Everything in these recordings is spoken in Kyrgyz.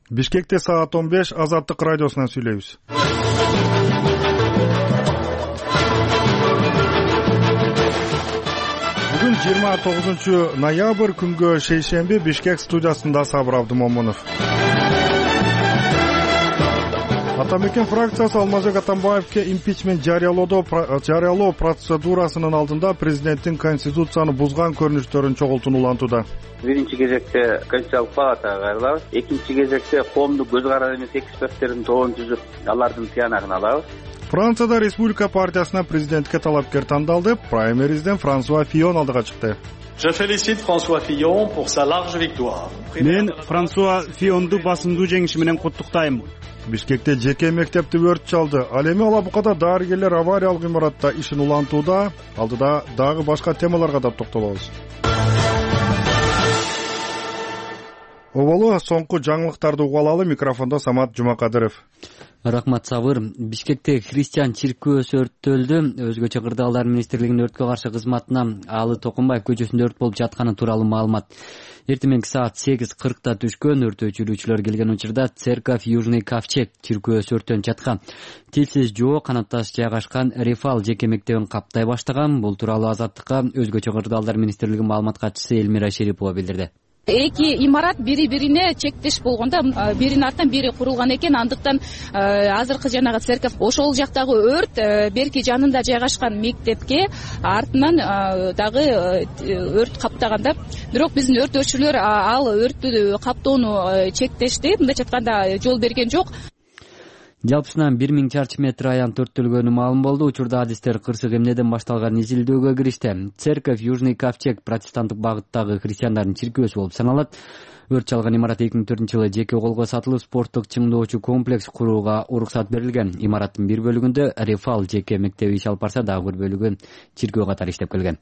Бишкекте саат 15 Азаттык радиосунан сүйлөйбүз. Бүгүн 29 ноябрь күнгө шейшемби Бишкек студиясында Сабыр Абдымомунов. Атамекен фракциясы Алмазбек Атамбаевке импичмент жарыялоо процедурасынын алдында президенттин конституцияны бузган көрүнүштөрүн чогултууну улантууда. Биринчи кезекте Конституциялык палатага кайрылабыз. Экинчи кезекте коомдук көз карар эмес эксперттердин тобун түзүп, алардын тыянагын алабыз. Францияда Республика партиясына президентке талапкер тандалды. Праймеризден Франсуа Фийон алдыга чыкты. Je félicite François Fillon pour sa large victoire. Мен Франсуа Фионду басымдуу жеңиши менен куттуктайм. Бишкекте жеке мектепти өрт чалды. Ал эми Алабукада дарыгерлер авариялык имаратта ишин улантууда. Алдыда дагы башка темаларга да токтолобуз. Оболу соңку жаңылыктарды угуп алалы. Микрофондо Самат Жумакадыров. Рахмат, Сабыр. Бишкекте христиан чиркөөсү өрттөлдү. Өзгөчө кырдаалдар министрлигинин өрткө каршы кызматына Алы Токумбаев көчөсүндө өрт болуп жатканы тууралуу маалымат. Эртеменки саат 8:40 түшкөн. Өрт өчүрүүчүлөр келген учурда Церковь Южный Ковчег чиркөөсү өрттөнүп жаткан. Тилсиз жоо канатташ жайгашкан Рефал жеке мектебин каптай баштаган. Бул тууралуу Азаттыкка өзгөчө кырдаалдар министрлигинин маалымат катчысы Элмира Шерипова билдирди. Эки имарат бири-бирине чектеш болгондо биринин артынан бири курулган экен. Андыктан азыркы жанагы церковь ошол жактагы өрт берки жанында жайгашкан мектепке артынан дагы өрт каптаганда. Бирок биздин өрт өчүрүүлөр ал өрттү каптоону чектешти. Мындайча айтканда жол берген жок. Жалпысынан 1000 чарчы метр аян төрттөлгөнү маалым болду. Учурда адистер кырсык эмнеден башталган изилдөөгө киришти. Церковь Южный Ковчег протестанттык багыттагы христиандардын чиркөөсү болуп саналат. Өрт чалган имарат 2004-жылы жеке колго сатылып, спорттук чыңдоочу комплекс курууга уруксат берилген. Имараттын бир бөлүгүндө Рефал жеке мектеби иш алып барса, дагы бир бөлүгү чиркөө катары иштеп келген.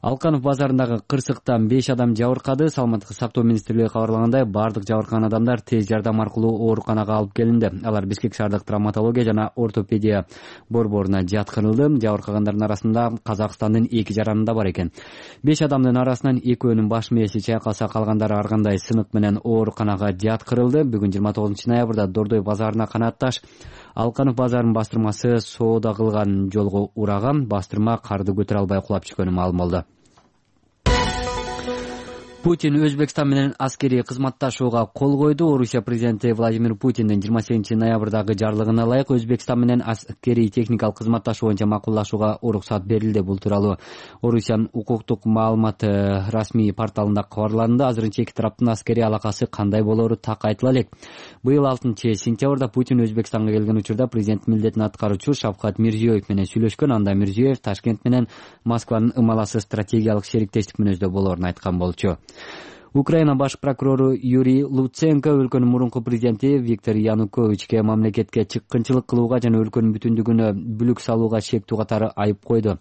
Алканов базарындагы кырсыктан 5 адам жабыркады. Саламаттык сактоо министрлиги кабарлагандай, бардык жабыркаган адамдар тез жардам аркылуу ооруканага алып келинди. Алар Бишкек шаардык травматология жана ортопедия борборуна жаткырылды. Жабыркагандардын арасында Казакстандын 2 жаранында бар экен. 5 адамдын арасынан 2өөнүн баш мээси чайкалса, калгандары ар кандай сынык менен ооруканага жаткырылды. Бүгүн 29 ноябрда Дордой базарына канатташ Алканов базарынын бастырмасы соода кылган жолго ураган. Бастырма карды көтөрө албай кулап түшкөнү маалым болду. Путин Өзбекстан менен аскерий кызматташууга кол койду. Орусия президенти Владимир Путиндин 28 ноябрдагы жарлыгына ылайык Өзбекстан менен аскерий техникалык кызматташуу боюнча макулдашууга уруксат берилди. Бул тууралуу Орусиянын укуктук маалымат расмий порталында кабарланды. Азырынча эки тараптын аскерий алакасы кандай болору так айтыла элек. Быйыл 6-сентябрда Путин Өзбекстанга келген учурда президент милдетин аткаруучу Шавкат Мирзиёев менен сүйлөшкөн. Анда Мирзиёев Ташкент менен Москванын ымаласы стратегиялык шериктештик мүнөздө болоорун айткан болчу. Украина баш прокурору Юрий Луценко өлкөнүн мурунку президенти Виктор Януковичке мамлекетке чыккынчылык кылууга жана өлкөнүн бүтүндүгүнө бүлүк салууга шектүү катары айып койду.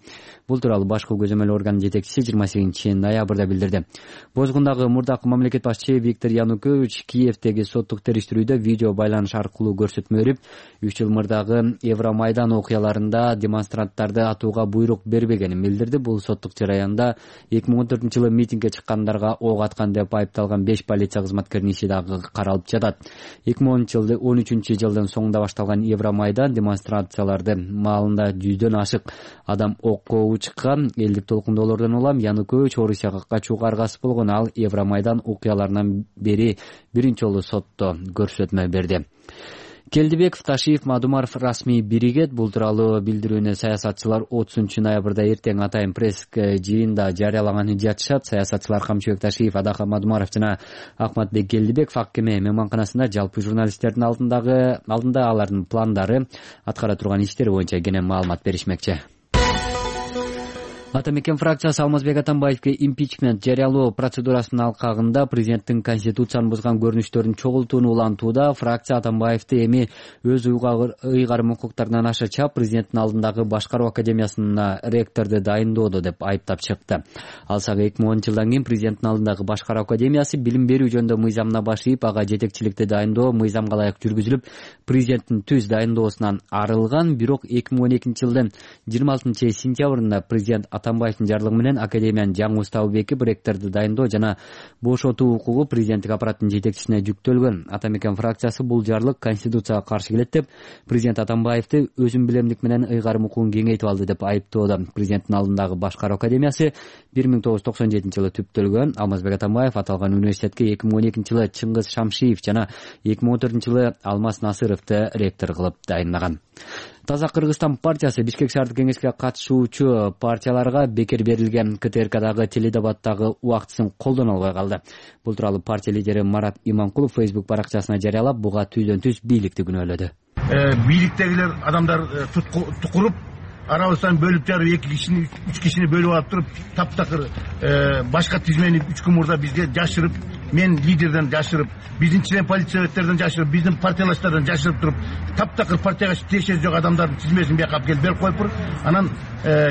Бул тууралуу башкы көзөмөл орган жетекчиси 28 ноябрда билдирди. Бозгундагы мурдакы мамлекет башчы Виктор Янукович Киевдеги соттук териштирүүдө видео байланыш аркылуу көрсөтмө берип, 3 жыл мурдагы Евромайдан окуяларында демонстранттарды атууга буйрук бербегенин билдирди. Бул соттук жараянда 2014-жылы митингге чыккандарга ок аткан деп айыпталган 5 полиция кызматкеринин иши дагы каралып жатат. 2013-жылдын соңунда башталган Евромайдан демонстрацияларды маалында 100дөн ашык адам окко чыккан. Элдик толкундоолордон улам Янукович Орусияга качууга аргасыз болгон. Ал Евромайдан окуяларынан бери биринчи жолу сотто көрсөтмө берди. Келдибеков, Ташиев, Мадумаров расмий биригет. Бул тууралуу билдирүүнү саясатчылар 30 ноябрда эртең атайын пресс жыйында жарыялаганын жатышат. Саясатчылар Камчыбек Ташиев, Адака Мадумаров жана Акматбек Келдибеков Аккеме мейманканасында жалпы журналисттердин алдында алардын пландары, аткара турган иштери боюнча кенен маалымат беришмекчи. Атамекен фракциясы Алмазбек Атамбаевке импичмент жарыялоо процедурасынын алкагында президенттин конституцияны бузган көрүнүштөрүн чогултууну улантууда. Фракция Атамбаевди эми өз ыйгарым укуктарынан аша чап президенттин алдындагы башкаруу академиясына ректорду дайындоодо деп айыптап чыкты. Алсак 2010-жылдан кийин президенттин алдындагы башкаруу академиясы билим берүү жөнүндө мыйзамына баш ийип, ага жетекчиликти дайындоо мыйзамга ылайык жүргүзүлүп, президенттин түз дайындоосунан арылган. Бирок 2012-жылдын 26 сентябрында президент Атамбаевдин жарлыгы менен Академиянын жаңы уставы бекип, ректорду дайындоо жана бошотуу укугу президенттик аппараттын жетекчисине жүктөлгөн. Атамекен фракциясы бул жарлык Конституцияга каршы келет деп, президент Атамбаевди өзүн билемдик менен ыйгарым укугун кеңейтип алды деп айыптоодо. Президенттин алдындагы Башкаруу академиясы 1997-жылы түптөлгөн. Алмазбек Атамбаев аталган университетке 2012-жылы Чыңгыз Шамшиев жана 2014-жылы Алмаз Насыровду ректор кылып дайындаган. Таза Кыргызстан партиясы Бишкек шаардык кеңешке катышуучу партияларга бекер берилген КТРКдагы теледебаттагы убактысын колдоно албай калды. Бул тууралуу партия лидери Марат Иманкулов Facebook баракчасына жарыялап, буга түздөн-түз бийликти күнөөлөдү. Бийликтегилер адамдар тукуруп, арабыздан бөлүп жарып, 2 кишини 3 кишини бөлүп алып туруп, таптакыр башка тизмени 3 күн мурда бизге жашырып, мен лидерден жашырып, биздин член политсоветтерден жашырып, биздин партиялаштардан жашырып туруп, таптакыр партияга тиешеси жок адамдардын тизмесин бияка алып келип берип коюп, анан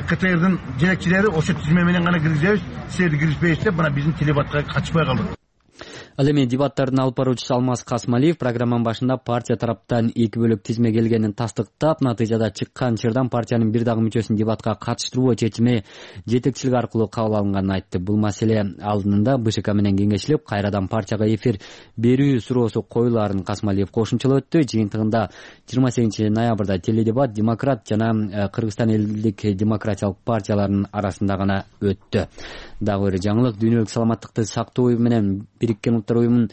КТРдин жетекчилери ошо тизме менен гана киргизебиз, силерди киргизбейбиз деп, мына биздин телебатка катышпай калдык. Ал эми дебаттардын алып баруучусу Алмаз Касмалиев программанын башында партия тараптан 2 бөлөк тизме келгенин тастыктап, натыйжада чыккан чырдан партиянын бир дагы мүчөсүн дебатка катыштыруу чечими жетекчилик аркылуу кабыл алынганын айтты. Бул маселе алдында БШК менен кеңешилип, кайрадан партияга эфир берүү суроосу коюлаарын Касмалиев кошумчалап өттү. Жыйынтыгында 28 ноябрда теледебат Демократ жана Кыргызстан элдик демократиялык партияларынын арасында гана өттү. Дагы бир жаңылык, дүйнөлүк саламаттыкты сактоо уюму менен Бириккен Улуттар уюмунун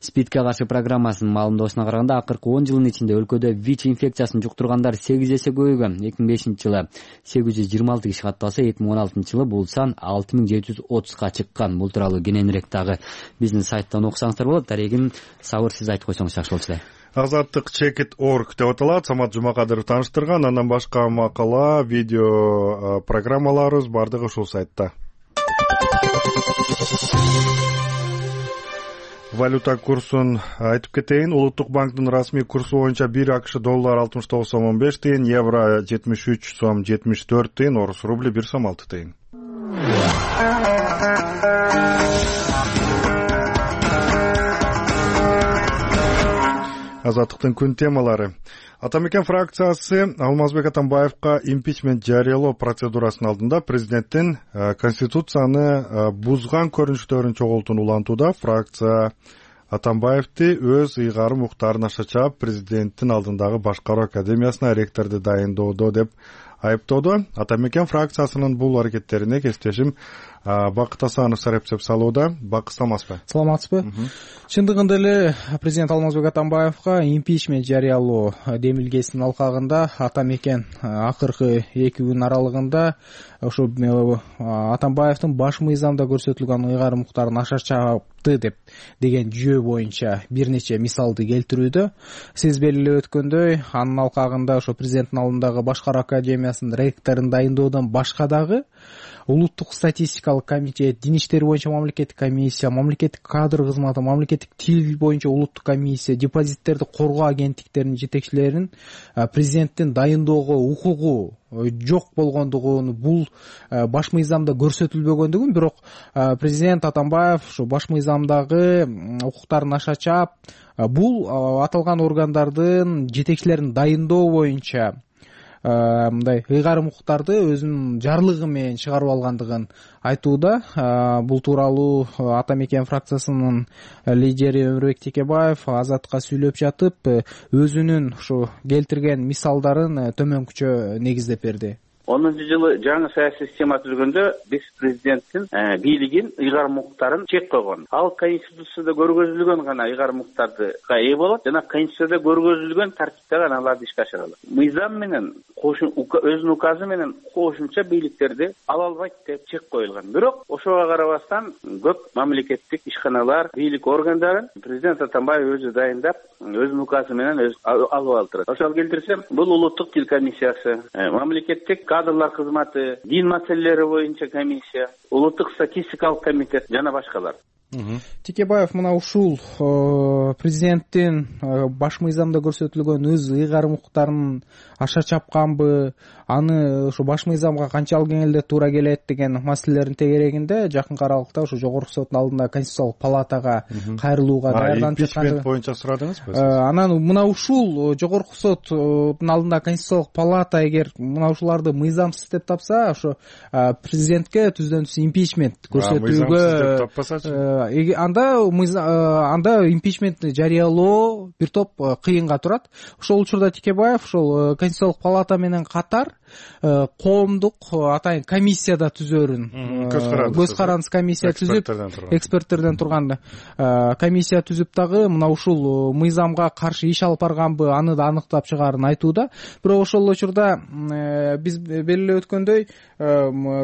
СПИДке каршы программасынын маалымдоосуна караганда, акыркы 10 жылдын ичинде өлкөдө ВИЧ инфекциясын жуктургандар 8 эсе көбөйгөн. 2005-жылы 826 киши катталса, 2016-жылы бул сан 6730га чыккан. Бул тууралуу кененирээк дагы биздин сайттан окусаңыздар болот. Дарегин сабырсыз айтып койсоңуз жакшы болчу эле. Азаттык Check.org деп аталат. Самат Жумакадыров тааныштырган. Андан башка макала, видео программаларыбыз бардыгы ушул сайтта. Валюта курсун айтып кетейин. Улуттук банктын расмий курсу боюнча 1 АКШ доллар 69 сом 15 тыйын, евро 73 сом 74 тыйын, орус рубли 1 сом 6 тыйын. Азаттыктын күн темалары. Атамекен фракциясы Алмазбек Атамбаевка импичмент жарыялоо процедурасынын алдында президенттин конституцияны бузган көрүнүштөрүн чогултууну улантууда. Фракция Атамбаевди өз ыйгарым укуктарын аша чаап, президенттин алдындагы Башкаруу академиясына ректорду дайындоодо деп айыптоодо. Атамекен фракциясынын бул аракеттерине кесиптешим Бакыт Асанов сарапчылык салууда. Бакыт, саламатсызбы? Саламатсызбы. Чындыгында эле президент Алмазбек Атамбаевка импичмент жарыялоо демилгесинин алкагында Атамекен акыркы 2 күн аралыгында ошо Атамбаевдин баш мыйзамда көрсөтүлгөн ыйгарым укуктарын аша чапты деген жүйө боюнча бир нече мисалды келтирүүдө. Сиз белгилеп өткөндөй, анын алкагында ошо президенттин алдындагы Башкаруу академиясынын ректорун дайындоодон башка дагы Улуттук статистикалык комитет, дин иштери боюнча мамлекеттик комиссия, мамлекеттик кадр кызматы, мамлекеттик тил боюнча улуттук комиссия, депозиттерди коргоо агенттиктеринин жетекчилерин президенттин дайындоого укугу жок болгондугун, бул баш мыйзамда көрсөтүлбөгөндүгүн, бирок президент Атамбаев ушу баш мыйзамдагы укуктарын аша чаап, бул аталган органдардын жетекчилерин дайындоо боюнча мындай ыйгарым укуктарды өзүнүн жарлыгы менен чыгарып алгандыгын айтууда. Бул тууралуу Атамекен фракциясынын лидери Өмүрбек Текебаев Азатка сүйлөп жатып, өзүнүн ушу келтирген мисалдарын төмөнкүчө негиздеп берди. 10-жылы жаңы саясий система түзгөндө биз президенттин бийлигин, ыйгарым укуктарын чек койгон. Ал Конституцияда көргөзүлгөн гана ыйгарым укуктарды ээ болот жана Конституцияда көргөзүлгөн тартипте гана аларды ишке ашыра алат. Мыйзам менен өзүнүн указы менен кошумча бийликтерди ала албайт деп чек коюлган. Бирок ошого карабастан көп мамлекеттик ишканалар, бийлик органдарын президент Атамбаев өзү дайындап, өзүнүн указы менен алып алып турат. Ошол келтирсем, бул улуттук тил комиссиясы, мамлекеттик кадрлар кызматы, дин маселелери боюнча комиссия, улуттук статистикалык комитет жана башкалар. Текебаев мына ушул президенттин баш мыйзамда көрсөтүлгөн өз ыйгарым укуктарын аша чапканбы, аны ошо баш мыйзамга канчалык кеңелде туура келет деген маселелердин тегерегинде жакынкы аралыкта ошо жогорку соттун алдында Конституциялык палатага кайрылууга даярданып импичмент боюнча сурадыңызбы? Анан мына ушул жогорку соттун алдында Конституциялык палата эгер мына ушуларды мыйзамсыз деп тапса, ошо президентке түздөн түз импичмент көрсөтүүгө анда импичментти жарыялоо бир топ кыйынга турат. Ошол учурда Текебаев ошол Конституциялык палата менен катар коомдук атайын комиссияда түзөрүн, көз карандысыз комиссия түзүп, эксперттерден турган комиссия түзүп дагы мына ушул мыйзамга каршы иш алып барганбы, аны да аныктап чыгаарын айтууда. Бирок ошол учурда биз белгилеп өткөндөй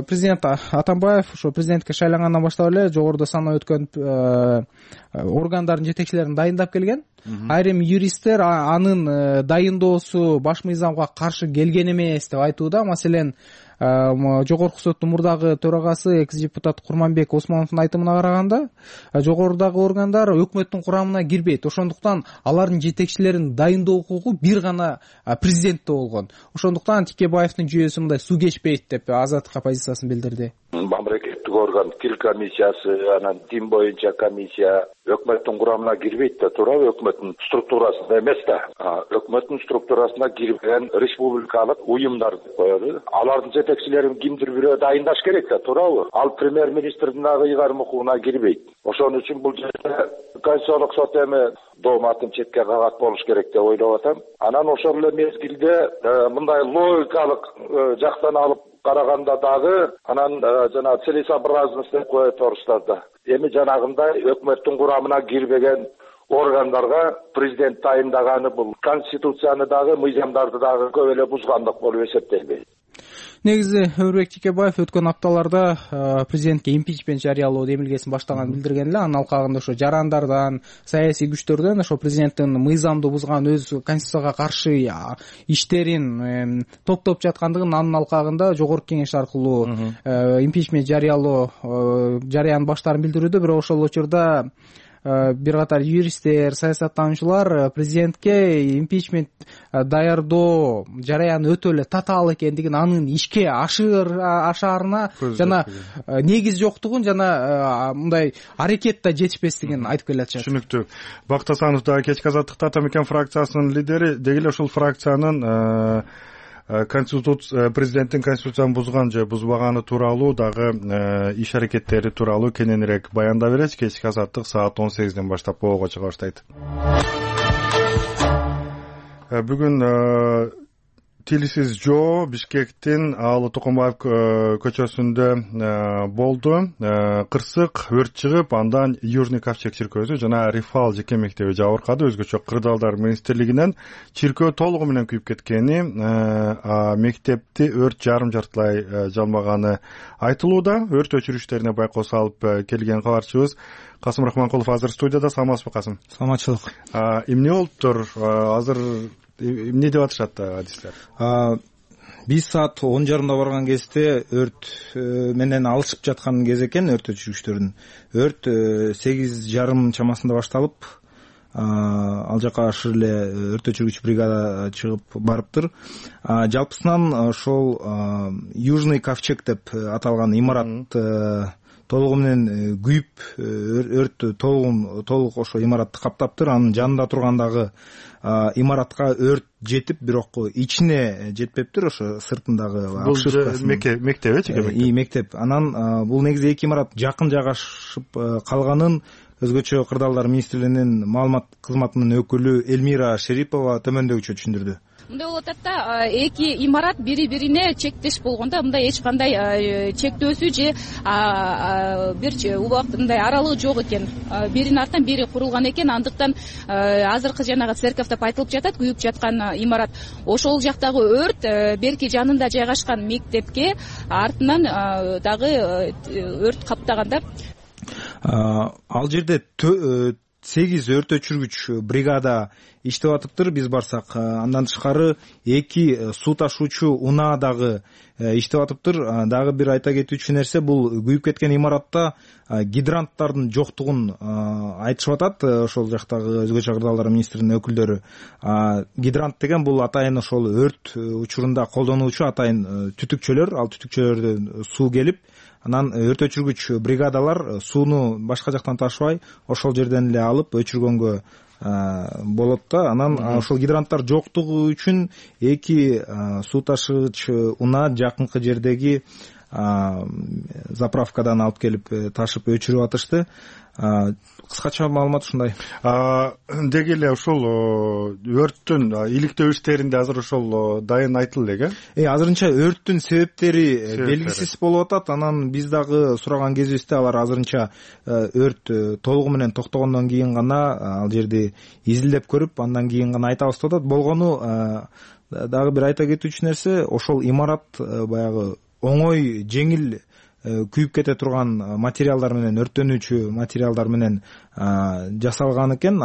президент Атамбаев ошо президентке шайлангандан баштап эле жогоруда санап өткөн органдардын жетекчилерин дайындап келген. Айрым юристтер анын дайындоосу баш мыйзамга каршы келген эмес деп айтууда. Маселен, жогорку соттун мурдагы төрагасы экс-депутат Курманбек Осмоновдун айтымына караганда, жогорудагы органдар өкмөттүн курамына кирбейт. Ошондуктан алардын жетекчилерин дайындоо укугу бир гана президентте болгон. Ошондуктан Текебаевдин жүйөсү мындай суу кечпейт деп Азаттыкка позициясын билдирди. Мамлекеттик орган тил комиссиясы, анан дин боюнча комиссия өкмөттүн курамына кирбейт да, туурабы? Өкмөттүн структурасында эмес да. Өкмөттүн структурасына кирбеген республикалык уюмдар деп коелу. Алардын жетекчилерин кимдир бирөө дайындаш керек да, туурабы? Ал премьер-министрдин дагы ыйгарым укугуна кирбейт. Ошон үчүн бул жерде Конституциялык сот эми дооматын четке кагат болуш керек деп ойлоп атам. Анан ошол эле мезгилде мындай логикалык жактан алып караганда дагы анан жана целесообразность деп коет орустар да. Эми жанагындай өкмөттүн курамына кирбеген органдарга президент тайындаганы бул конституцияны дагы мыйзамдарды дагы көп эле бузгандык болуп эсептелбейт. Негизи Өрбек Текебаев өткөн апталарда президентке импичмент жарыялоо демилгесин баштаганын билдирген эле. Анын алкагында ошо жарандардан, саясий күчтөрдөн ошо президенттин мыйзамды бузган өз конституцияга каршы иштерин топтоп жаткандыгын, анын алкагында жогорку кеңеш аркылуу импичмент жарыялоо жарыянын баштаарын билдирүүдө. Бирок ошол учурда бир катар юристтер, саясаттануучулар президентке импичмент даярдоо жараяны өтө эле татаал экендигин, анын ишке ашаарына жана негиз жоктугун жана мындай аракет да жетишпестигин айтып келатышат. Түшүнүктүү. Бакыт Асанов да кечки азаттыкта Атамекен фракциясынын лидери, деги эле ушул фракциянын президенттин конституцияны бузган же бузбаганы тууралуу дагы иш аракеттери тууралуу кененирээк баяндап берет. Кечки азаттык саат 18ден баштап боого чыга баштайт. Бүгүн Тилсиз жоо Бишкектин Аалы Токомбаев көчөсүндө болду. Кырсык өрт чыгып, андан Южный Ковчег чиркөөсү жана Рифал жеке мектеби жабыркады. Өзгөчө кырдаалдар министрлигинен чиркөө толугу менен күйүп кеткени, мектепти өрт жарым жартылай жалмаганы айтылууда. Өрт өчүрүштөрүнө байкоо салып келген кабарчыбыз Касым Рахманкулов азыр студияда. Саламатсызбы, Касым? Саламатчылык. Эмне болуптур? Азыр эмне деп атышат адистер? Биз саат 10:30 барган кезде өрт менен алышып жаткан кез экен, өрт өчүргүчтөрдүн. Өрт 8:30 чамасында башталып, ал жака ашыр эле өрт өчүргүч бригада чыгып барыптыр. Жалпысынан ошол Южный Ковчег деп аталган имарат толугу менен күйүп, өрт толук ошо имаратты каптаптыр. Анын жанында тургандагы имаратка өрт жетип, бирок ичине жетпептир, ошо сыртындагы обшивкасы. Мектеп эчи? Мектеп. Анан бул негизи эки имарат жакын жайгашып калганын өзгөчө кырдаалдар министрлигинин маалымат кызматынын өкүлү Элмира Шерипова төмөндөгүчө түшүндүрдү. Мындай болуп атат да, эки имарат бири-бирине чектеш болгондо мындай эч кандай чектөөсү же бир убакыт мындай аралыгы жок экен. Биринин артынан бири курулган экен. Андыктан азыркы жанагы церковь деп айтылып жатат, күйүп жаткан имарат. Ошол жактагы өрт берки жанында жайгашкан мектепке артынан дагы өрт каптаган да. Ал жерде 8 өрт өчүргүч бригада иштеп атыптыр биз барсак. Андан тышкары 2 суу ташуучу унаа дагы иштеп атыптыр. Дагы бир айта кетүүчү нерсе, бул күйүп кеткен имаратта гидранттардын жоктугун айтышып атат ошол жактагы өзгөчө кырдаалдар министринин өкүлдөрү. Гидрант деген бул атайын ошол өрт учурунда колдонуучу атайын түтүкчөлөр, ал түтүкчөлөрдөн суу келип, анан өрт өчүргүч бригадалар сууну башка жактан ташыбай ошол жерден эле алып өчүргөнгө болот да. Анан ошол гидранттар жоктугу үчүн 2 суу ташыгыч унаа жакынкы жердеги заправкадан алып келип ташып өчүрүп атышты. Кыскача маалымат ушундай. Деги эле ушул өрттүн иликтөө иштеринде азыр ошол дайын айтылды эле. Азырынча өрттүн себептери белгисиз болуп атат. Анан биз дагы сураган кезибизде алар азырынча өрт толугу менен токтогондон кийин гана ал жерди изилдеп көрүп, андан кийин гана айтабыз деп атат. Болгону дагы бир айта кетүүчү нерсе, ошол имарат баягы оңой, жеңил күйүп кете турган материалдар менен, өрттөнүүчү материалдар менен жасалган экен.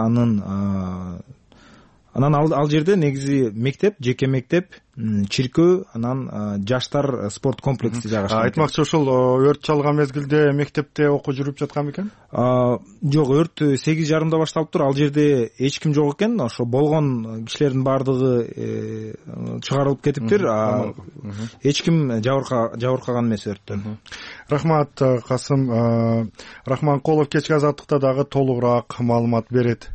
Анан ал жерде негизи мектеп, жеке мектеп, чиркөө, анан жаштар спорт комплекси жайгашкан. Айтмакчы, ошол өрт чалган мезгилде мектепте окуу жүрүп жаткан бекен? Жок, өрт 8:30 башталыптыр. Ал жерде эч ким жок экен. Ошо болгон кишилердин баардыгы чыгарылып кетиптир. Эч ким жабыркаган эмес өрттөн. Рахмат, Касым Рахманкулов кечки азаттыкта дагы толугураак маалымат берет.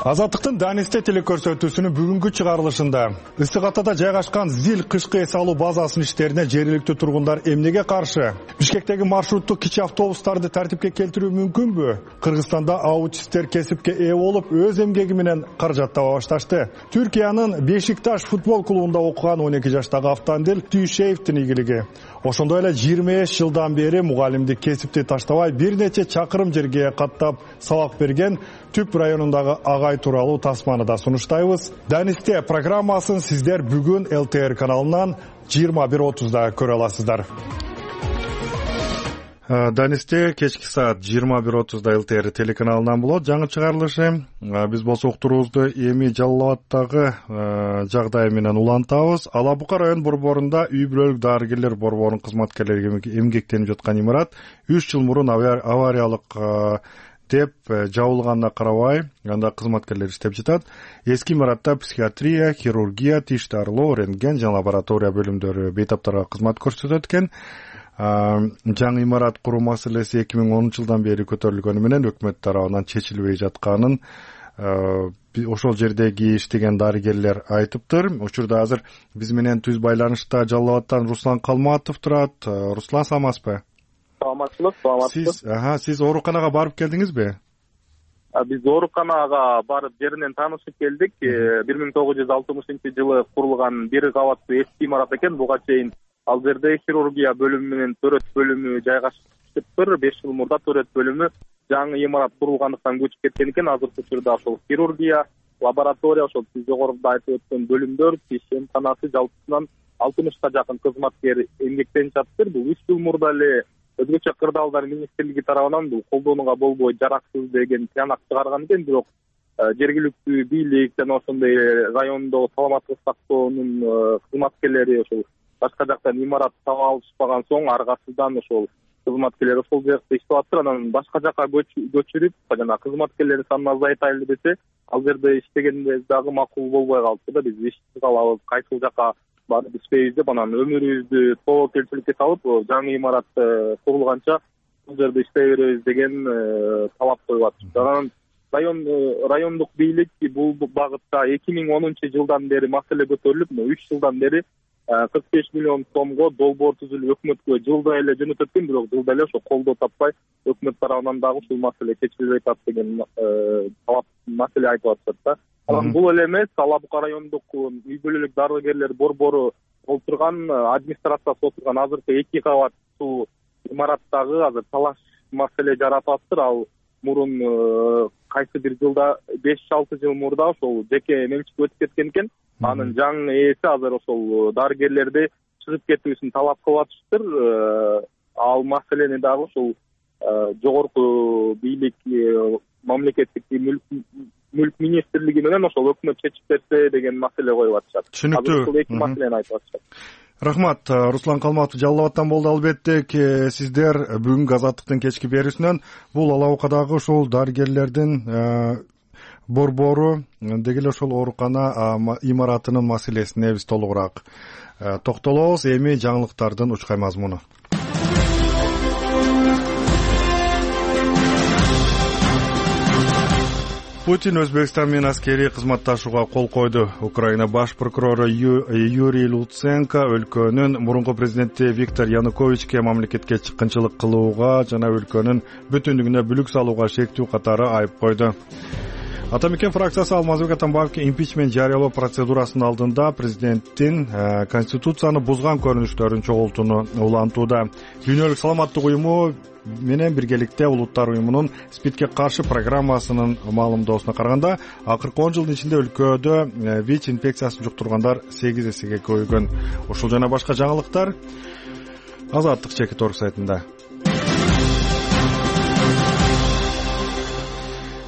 Азаттыктын Данисте телекөрсөтүүсүнүн бүгүнкү чыгарылышында Ысык Атада жайгашкан ЗИЛ кышкы эс алуу базасынын иштерине жергиликтүү тургундар эмнеге каршы? Бишкектеги маршруттук кичи автобустарды тартипке келтирүү мүмкүнбү? Кыргызстанда аутисттер кесипке ээ болуп, өз эмгеги менен каражаттаба башташты. Түркиянын Бешикташ футбол клубунда окуган 12 жаштагы Автандил Түйшеевдин ийгилиги. Ошондой эле 25 жылдан бери мугалимдик кесипти таштабай бир нече чакырым жерге каттап сабак берген Түп районундагы агай тууралуу тасманы да сунуштайбыз. Данисте программасын сиздер бүгүн ЛТР каналынан 21:30да көрө аласыздар. Данисте кечки саат 21:30да ЛТР телеканалынан болот жаңы чыгарылышы. Биз болсо уктуруубузду эми Жалал Абадтагы жагдай менен улантабыз. Ала Бука район борборунда үй бүлөлүк дарыгерлер борборунун кызматкерлери эмгектенип жаткан имарат 3 жыл мурун авариялык деп жабылганына карабай, анда кызматкерлер иштеп жатат. Эски имаратта психиатрия, хирургия, тиш дарылоо, рентген жана лаборатория бөлүмдөрү бейтаптарга кызмат көрсөтөт экен. Жаңы имарат куруу маселеси 2010-жылдан бери көтөрүлгөнү менен өкмөт тарабынан чечилбей жатканын ошол жердеги иштеген дарыгерлер айтыптыр. Учурда азыр биз менен түз байланышта Жалал Абадтан Руслан Калматов турат. Руслан, саламатсызбы? Саламатчылык. Сиз ооруканага барып келдиңизби? Биз ооруканага барып жеринен таанышып келдик. 1960-жылы курулган бир кабаттуу эски имарат экен. Буга чейин ал жерде хирургия бөлүмү менен төрөт бөлүмү жайгашыптыр. 5 жыл мурда төрөт бөлүмү жаңы имарат курулгандыктан көчүп кеткен экен. Азыркы учурда ошол хирургия, лаборатория, ошол сиз жогоруда айтып өткөн бөлүмдөр, тиш эмканасы жалпысынан 60га жакын кызматкер эмгектенип жатыптыр. Бул 3 жыл мурда эле өзгөчө кырдаалдар министрлиги тарабынан бул колдонууга болбой жараксыз деген тыянак чыгарган экен. Бирок жергиликтүү бийлик жана ошондой райондогу саламаттык сактоонун кызматкерлери ошол башка жактан имарат таба алышпаган соң аргасыздан ошол кызматкерлер ошол жакта иштеп атыптыр. Анан башка жака көчүрүп, жана кызматкерлердин санын азайтайлы десе, ал жерде иштегенибиз дагы макул болбой калды да. Биз ишти калабыз, кайсыл жака барып иштейбиз деп, анан өмүрүбүздү тобокелчиликке салып, жаңы имарат курулганча бул жерде иштей беребиз деген талап коюп атышты. Анан райондук бийлик бул багытта 2010-жылдан бери маселе көтөрүлүп, 3 жылдан бери 45 миллион сомго долбоор түзүлүп өкмөткө жылда эле жөнөтөт экен. Бирок жылда эле ошо колдоо таппай, өкмөт тарабынан дагы ушул маселе чечилбей атат деген талап маселе айтып атышат да. Анан бул эле эмес, Ала Бука райондук үй бүлөлүк дарыгерлер борбору олтурган администрациясы отурган азыркы 2 кабаттуу имараттагы азыр талаш маселе жаратып атыптыр. Ал мурун кайсы бир жылда 5-6 жыл мурда ошол жеке менчикке өтүп кеткен экен. Анын жаңы ээси азыр ошол дарыгерлерди чыгып кетүүсүн талап кылып атыштыр. Ал маселени дагы ошол жогорку бийлик мамлекеттик мүлк министрлиги менен ошол өкмөт чечип берсе деген маселе коюп атышат. Түшүнүктүү. Ушул эки маселени айтып атышат. Рахмат. Руслан Калматов Жалал Абадтан болду. Албетте сиздер бүгүнкү Азаттыктын кечки берүүсүнөн бул Ала Букадагы ушул дарыгерлердин борбору деги эле ошол оорукана имаратынын маселесине биз толугураак токтолобуз. Эми жаңылыктардын учкай мазмуну. Путин Өзбекстан менен аскерий кызматташууга кол койду. Украина баш прокурору Юрий Луценко өлкөнүн мурунку президенти Виктор Януковичке мамлекетке чыккынчылык кылууга жана өлкөнүн бүтүндүгүнө бүлүк салууга шектүү катары айып койду. Ата Мекен фракциясы Алмазбек Атамбаевге импичмент жарыялоо процедурасынын алдында президенттин конституцияны бузган көрүнүштөрүн чогултууну улантууда. Дүйнөлүк саламаттык уюму менен биргеликте Улуттар уюмунун СПИДке каршы программасынын маалымдоосуна караганда, акыркы 10 жылдын ичинде өлкөдө ВИЧ инфекциясын жуктургандар 8 эсеге көбөйгөн. Ушул жана башка жаңылыктар Азаттык Чекит.орг сайтында.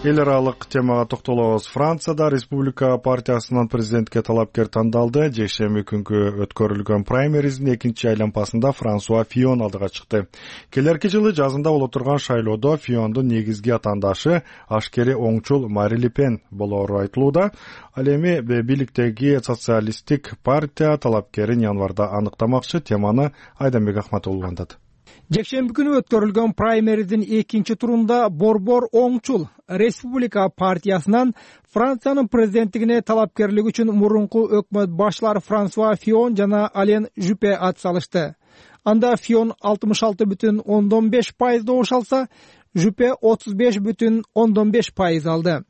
Эл аралык темага токтолобуз. Францияда Республика партиясынын президентке талапкер тандалды. Жекшемби күнкү өткөрүлгөн праймериздин экинчи айланпасында Франсуа Фион алдыга чыкты. Келерки жылы жазында боло турган шайлоодо Фиондун негизги атаандашы ашкери оңчул Мари Ле Пен болоору айтылууда. Ал эми бийликтеги социалисттик партия талапкерин январда аныктамакчы. Теманы Айданбек Ахматов улантат. Жекшемби күнү өткөрүлгөн праймериздин экинчи турунда борбор оңчул Республика партиясынан Франциянын президенттигине талапкерлик үчүн мурунку өкмөт башчылары Франсуа Фион жана Ален Жюпе ат салышты. Анда Фион 66,5% добуш алса, Жюпе 35,5% алды.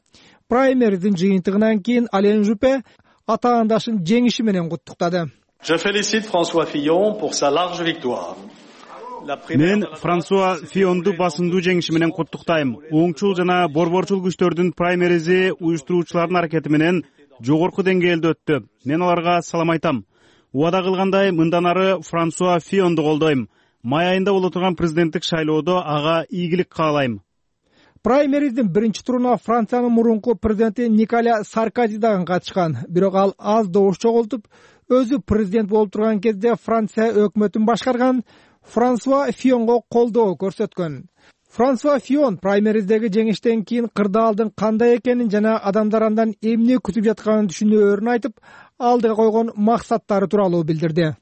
Праймериздин жыйынтыгынан кийин Ален Жюпе атаандашын жеңиши менен куттуктады. Je félicite François Fillon pour sa large victoire. Мен Франсуа Фионду басындуу жеңиши менен куттуктайм. Оңчул жана борборчул күчтөрдүн праймеризи уюштуруучулардын аракети менен жогорку деңгээлде өттү. Мен аларга салам айтам. Убада кылгандай, мындан ары Франсуа Фионду колдойм. Май айында боло турган президенттик шайлоодо ага ийгилик каалайм. Праймериздин биринчи туруна Франциянын мурунку президенти Николя Саркози дагы катышкан. Бирок ал аз добуш чогултуп, өзү президент болуп турган кезде Франция өкмөтүн башкарган Франсуа Фионго колдоо көрсөткөн. Франсуа Фион праймериздеги жеңиштен кийин кырдаалдын кандай экенин жана адамдар андан эмне күтүп жатканын түшүнөөрүн айтып, алдыга койгон максаттары тууралуу билдирди.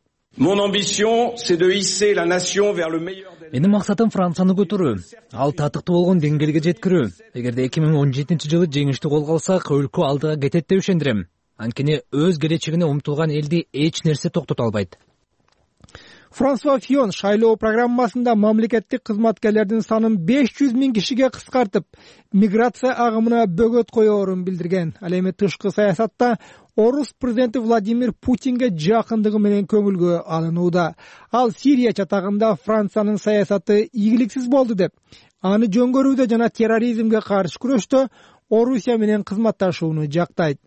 Менин максатым Францияны көтөрүү, ал татыктуу болгон деңгээлге жеткирүү. Эгерде 2017 жылы жеңишти колго алсак, өлкө алдыга кетет деп ишендирем. Анткени өз келечегине умтулган элди эч нерсе токтото албайт. Франсуа Фион шайлоо программасында мамлекеттик кызматкерлердин санын 500 000 кишиге кыскартып, миграция агымына бөгөт коёорун билдирген. Ал эми тышкы саясатта орус президенти Владимир Путинге жакындыгы менен көңүлгө алынууда. Ал Сирия чатагында Франциянын саясаты ийгиликсиз болду деп, аны жөнгөрүүдө жана терроризмге каршы күрөштө Орусия менен кызматташууну жактайт.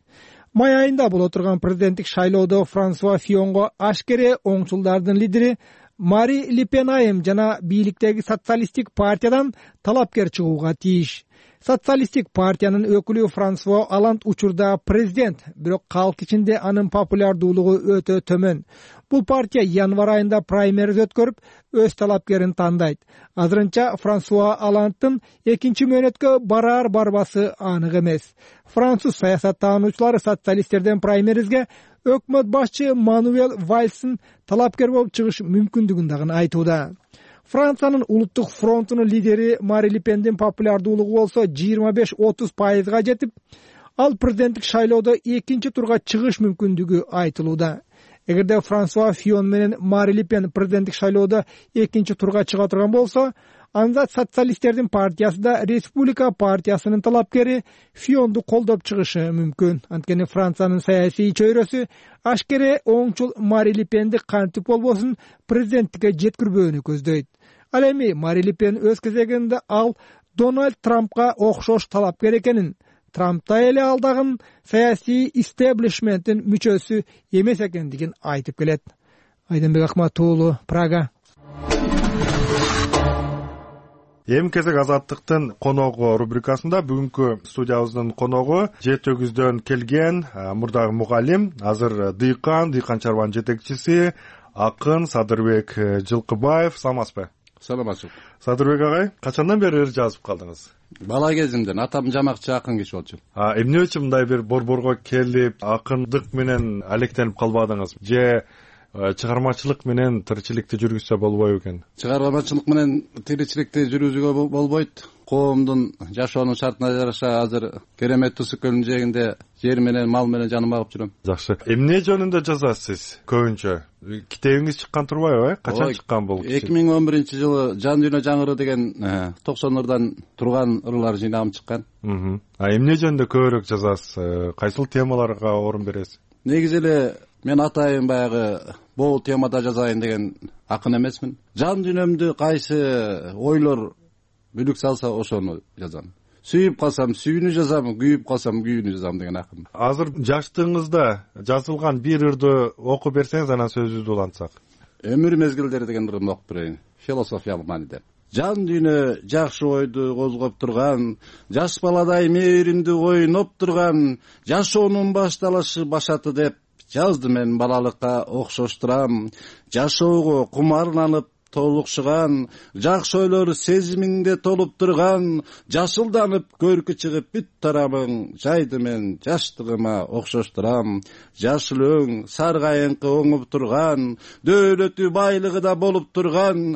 Май айында боло турган президенттик шайлоодо Франсуа Фионго ашкере оңчулдардын лидери Мари Ле Пен айым жана бийликтеги социалисттик партиядан талапкер чыгууга тийиш. Социалисттик партиянын өкүлү Франсуа Оланд учурда президент, бирок калк ичинде анын популярдуулугу өтө төмөн. Бул партия январ айында праймериз өткөрүп, өз талапкерин тандайт. Азырынча Франсуа Оландтын экинчи мөөнөткө бараар барбасы анык эмес. Француз саясаттануучулар социалисттерден праймеризге өкмөт башчы Мануэль Вальстын талапкер болуп чыгыш мүмкүндүгүн дагы айтууда. Франциянын улуттук фронтунун лидери Мари Ле Пендин популярдуулугу болсо 25-30%га жетип, ал президенттик шайлоодо экинчи турга чыгыш мүмкүндүгү айтылууда. Эгерде Франсуа Фион менен Мари Ле Пен президенттик шайлоодо экинчи турга чыга турган болсо, анда социалисттердин партиясы да Республика партиясынын талапкери Фионду колдоп чыгышы мүмкүн. Анткени Франциянын саясий чөйрөсү ашкере оңчул Мари Ле Пенди кантип болбосун президенттикке жеткирбөөнү көздөйт. Ал эми Мари Ле Пен өз кезегинде ал Дональд Трампка окшош талапкер экенин, Трампта эле ал дагы саясий истеблишменттин мүчөсү эмес экендигин айтып келет. Айданбек Ахматов уулу, Прага. эми кезек азаттыктын коногу рубрикасында бүгүнкү студиябыздын коногу Жети Өгүздөн келген мурдагы мугалим, азыр дыйкан чарбанын жетекчиси акын Садырбек Жылкыбаев. Саламатсызбы? Саламатсыз. Садырбек агай, качандан бери ыр жазып калдыңыз? Бала кезимден атам жамакчы акын киши болчу. Эмне үчүн мындай бир борборго келип, акындык менен алектенип калбадыңыз? Же чыгармачылык менен тиричиликти жүргүзсө болбойбу экен? Чыгармачылык менен тиричиликти жүргүзүүгө болбойт. Коомдун жашоонун шартына жараша азыр керемет Тусук көлүнүн жээгинде жер менен, мал менен жаным багып жүрөм. Жакшы. Эмне жөнүндө жазасыз көбүнчө? Китебиңиз чыккан турбайбы? Качан чыккан бул? 2011-жылы Жан дүйнө жаңыры деген 90 ырдан турган ырлар жыйнагым чыккан. Эмне жөнүндө көбүрөөк жазасыз? Кайсыл темаларга орун бересиз? Негизи эле мен атайын баягы бул темада жазайын деген акын эмесмин. Жан дүйнөмдү кайсы ойлор бүлүк салса ошону жазам. Сүйүп калсам сүйүүнү жазам, күйүп калсам күйүүнү жазам деген акын. Азыр жаштыгыңызда жазылган бир ырды окуп берсеңиз, анан сөзүбүздү улантсак. Өмүр мезгилдери деген ырымды окуп берейин. Философиялык мааниде. Жан дүйнө жакшы ойду козгоп турган, жаш баладай мээримди ойноп турган, жашоонун башталышы башаты деп жазды мен балалыкка окшоштурам. Жашоого кумарланып толукшуган, жакшы ойлор сезимиңде толуп турган, жашылданып көркү чыгып бүт тарамың, жайды мен жаштыгыма окшоштурам. Жашыл өң саргайыңкы оңуп турган, дөөлөтү байлыгы да болуп турган,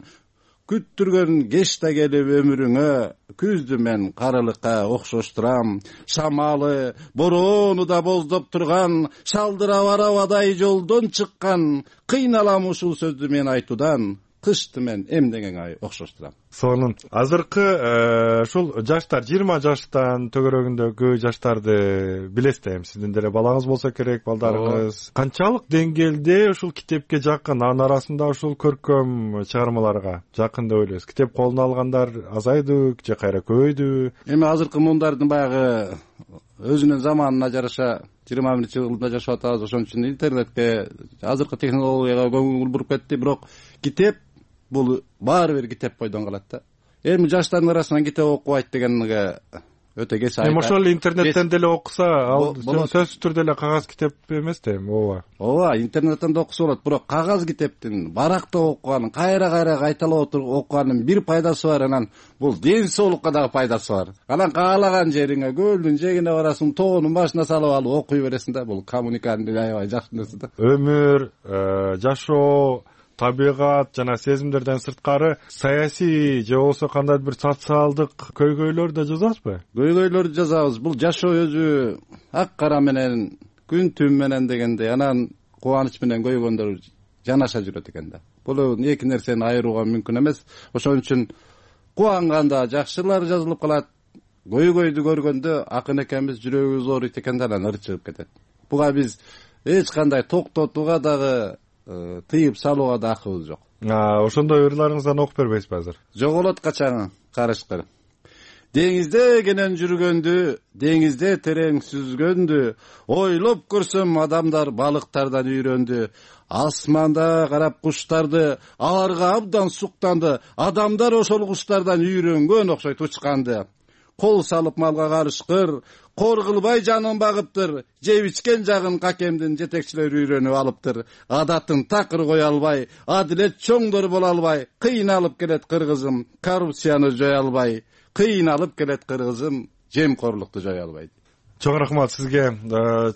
күттүргөн кеч да келип өмүрүңө, күздү мен карылыкка окшоштурам. Шамалы, бороону да боздоп турган, шалдырап арабадай жолдон чыккан, кыйналам ушул сөздү мен айтуудан, кышты мен эмнеңе окшоштурам. Сонун. Азыркы ушул жаштар 20 жаштан төгөрөгүндөгү жаштарды билесиз эми, сиздин деле балаңыз болсо керек, балдарыңыз. Канчалык деңгээлде ушул китепке жакын, анын арасында ушул көркөм чыгармаларга жакын деп ойлойсуз? Китеп колуна алгандар азайды же кайра көбөйдү? Эми азыркы мундардын баягы өзүнүн заманына жараша 21-жылда жашап атабыз, ошон үчүн интернетке, азыркы технологияга көңүл буруп кетти, бирок китеп бул баары бир китеп бойдон калат да. Эми жаштардын арасынан китеп окубайт дегенге өтө кеч айта. Эми ошол интернеттен деле окуса, ал сөзсүз түрдө эле кагаз китеп эмес да эми, ооба. Ооба, интернеттен да окуса болот, бирок кагаз китептин баракта окуганын, кайра кайталап окуганын бир пайдасы бар, анан бул ден соолукка дагы пайдасы бар. Анан каалаган жериңе, көлдүн жээгине барасың, тоонун башына салып алып окуй бересиң да, бул коммуниканын аябай жакшы нерсе да. Өмүр, жашоо, табигат жана сезимдерден сырткары саясий же болбосо кандайдыр бир социалдык көйгөйлөр да жазасызбы? Көйгөйлөрдү жазабыз. Бул жашоо өзү ак кара менен, күн түн менен дегендей, анан кубаныч менен көйгөндөр жанаша жүрөт экен да. Бул эки нерсени айырууга мүмкүн эмес. Ошон үчүн кубанганда жакшылар жазылып калат, көйгөйдү көргөндө акын экенбиз жүрөгүбүз ооруйт экен да, анан ыр чыгып кетет. Буга биз эч кандай токтотууга дагы тыйып салууга да акыбыз жок. Ошондой ырларыңыздан окуп бербейсизби азыр? Жоголот качан карышкыр. Деңизде кенен жүргөндү, деңизде терең сүзгөндү, ойлоп көрсөм адамдар балыктардан үйрөндү. Асманда карап куштарды, аларга абдан суктанды. Адамдар ошол куштардан үйрөнгөн окшойт учканды. Кол салып малга карышкыр, кор кылбай жанын багыптыр. Жеп ичкен жагын какемдин жетекчилери үйрөнүп алыптыр. Адатын такыр кое албай, адилет чоңдор боло албай, кыйналып келет кыргызым, коррупцияны жое албай, кыйналып келет кыргызым, жемкорлукту жое албай. Чоң рахмат сизге.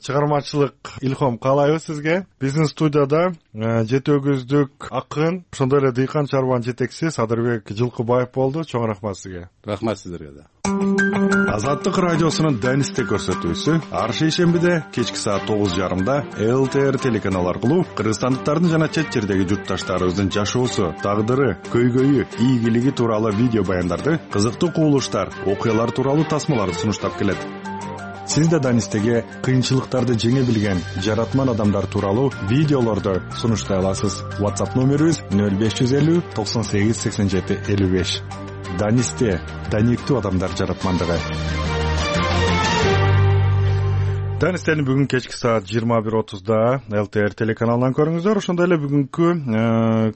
Чыгармачылык илхом каалайбыз сизге. Биздин студияда Жети Өгүздүк акын, ошондой эле дыйкан чарбанын жетекчиси Садырбек Жылкыбаев болду. Чоң рахмат сизге. Рахмат сиздерге да. Азаттык радиосунун Данисте көрсөтүүсү ар шейшембиде кечки саат 9:30 ЛТР телеканалы аркылуу кыргызстандыктардын жана чет жердеги журтташтарыбыздын жашоосу, тагдыры, көйгөйү, ийгилиги тууралуу видео баяндарды, кызыктуу кубулуштар, окуялар тууралуу тасмаларды сунуштап келет. Сиз да Данистеге кыйынчылыктарды жеңе билген жаратман адамдар тууралуу видеолорду сунуштай аласыз. WhatsApp номерибиз 0550 98 87 55. Данисте, даниктүү адамдар жаратмандыгы. Таныстарды бүгүн кечки саат 21:30 ЛТР телеканалынан көрүңүздөр. Ошондой эле бүгүнкү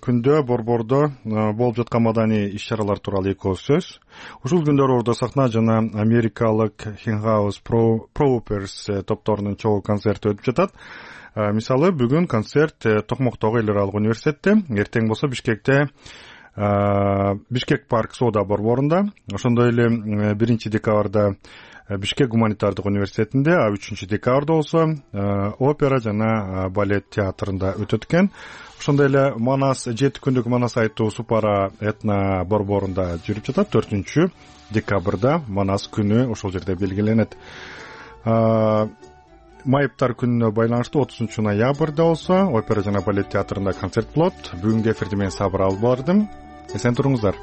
күндө борбордо болуп жаткан маданий иш-чаралар тууралуу эки ооз сөз. Ушул күндөр Ордо сахна жана америкалык Hinghouse Proppers топторунун чогуу концерти өтүп жатат. Мисалы, бүгүн концерт Токмоктогу эл аралык университетте, эртең болсо Бишкекте Бишкек парк соода борборунда, ошондой эле 1 декабрда Бишкек гуманитардык университетинде, а 3 декабрда болсо опера жана балет театрында өтөт экен. Ошондой эле Манас 7 күндүк Манас айтуу Супара этно борборунда жүрүп жатат. 4 декабрда Манас күнү ошол жерде белгиленет. Майыптар күнүнө байланыштуу 30 ноябрда болсо опера жана балет театрында концерт болот. Бүгүнкү эфирди мен Сабыр алып бардым. Эсен туруңуздар.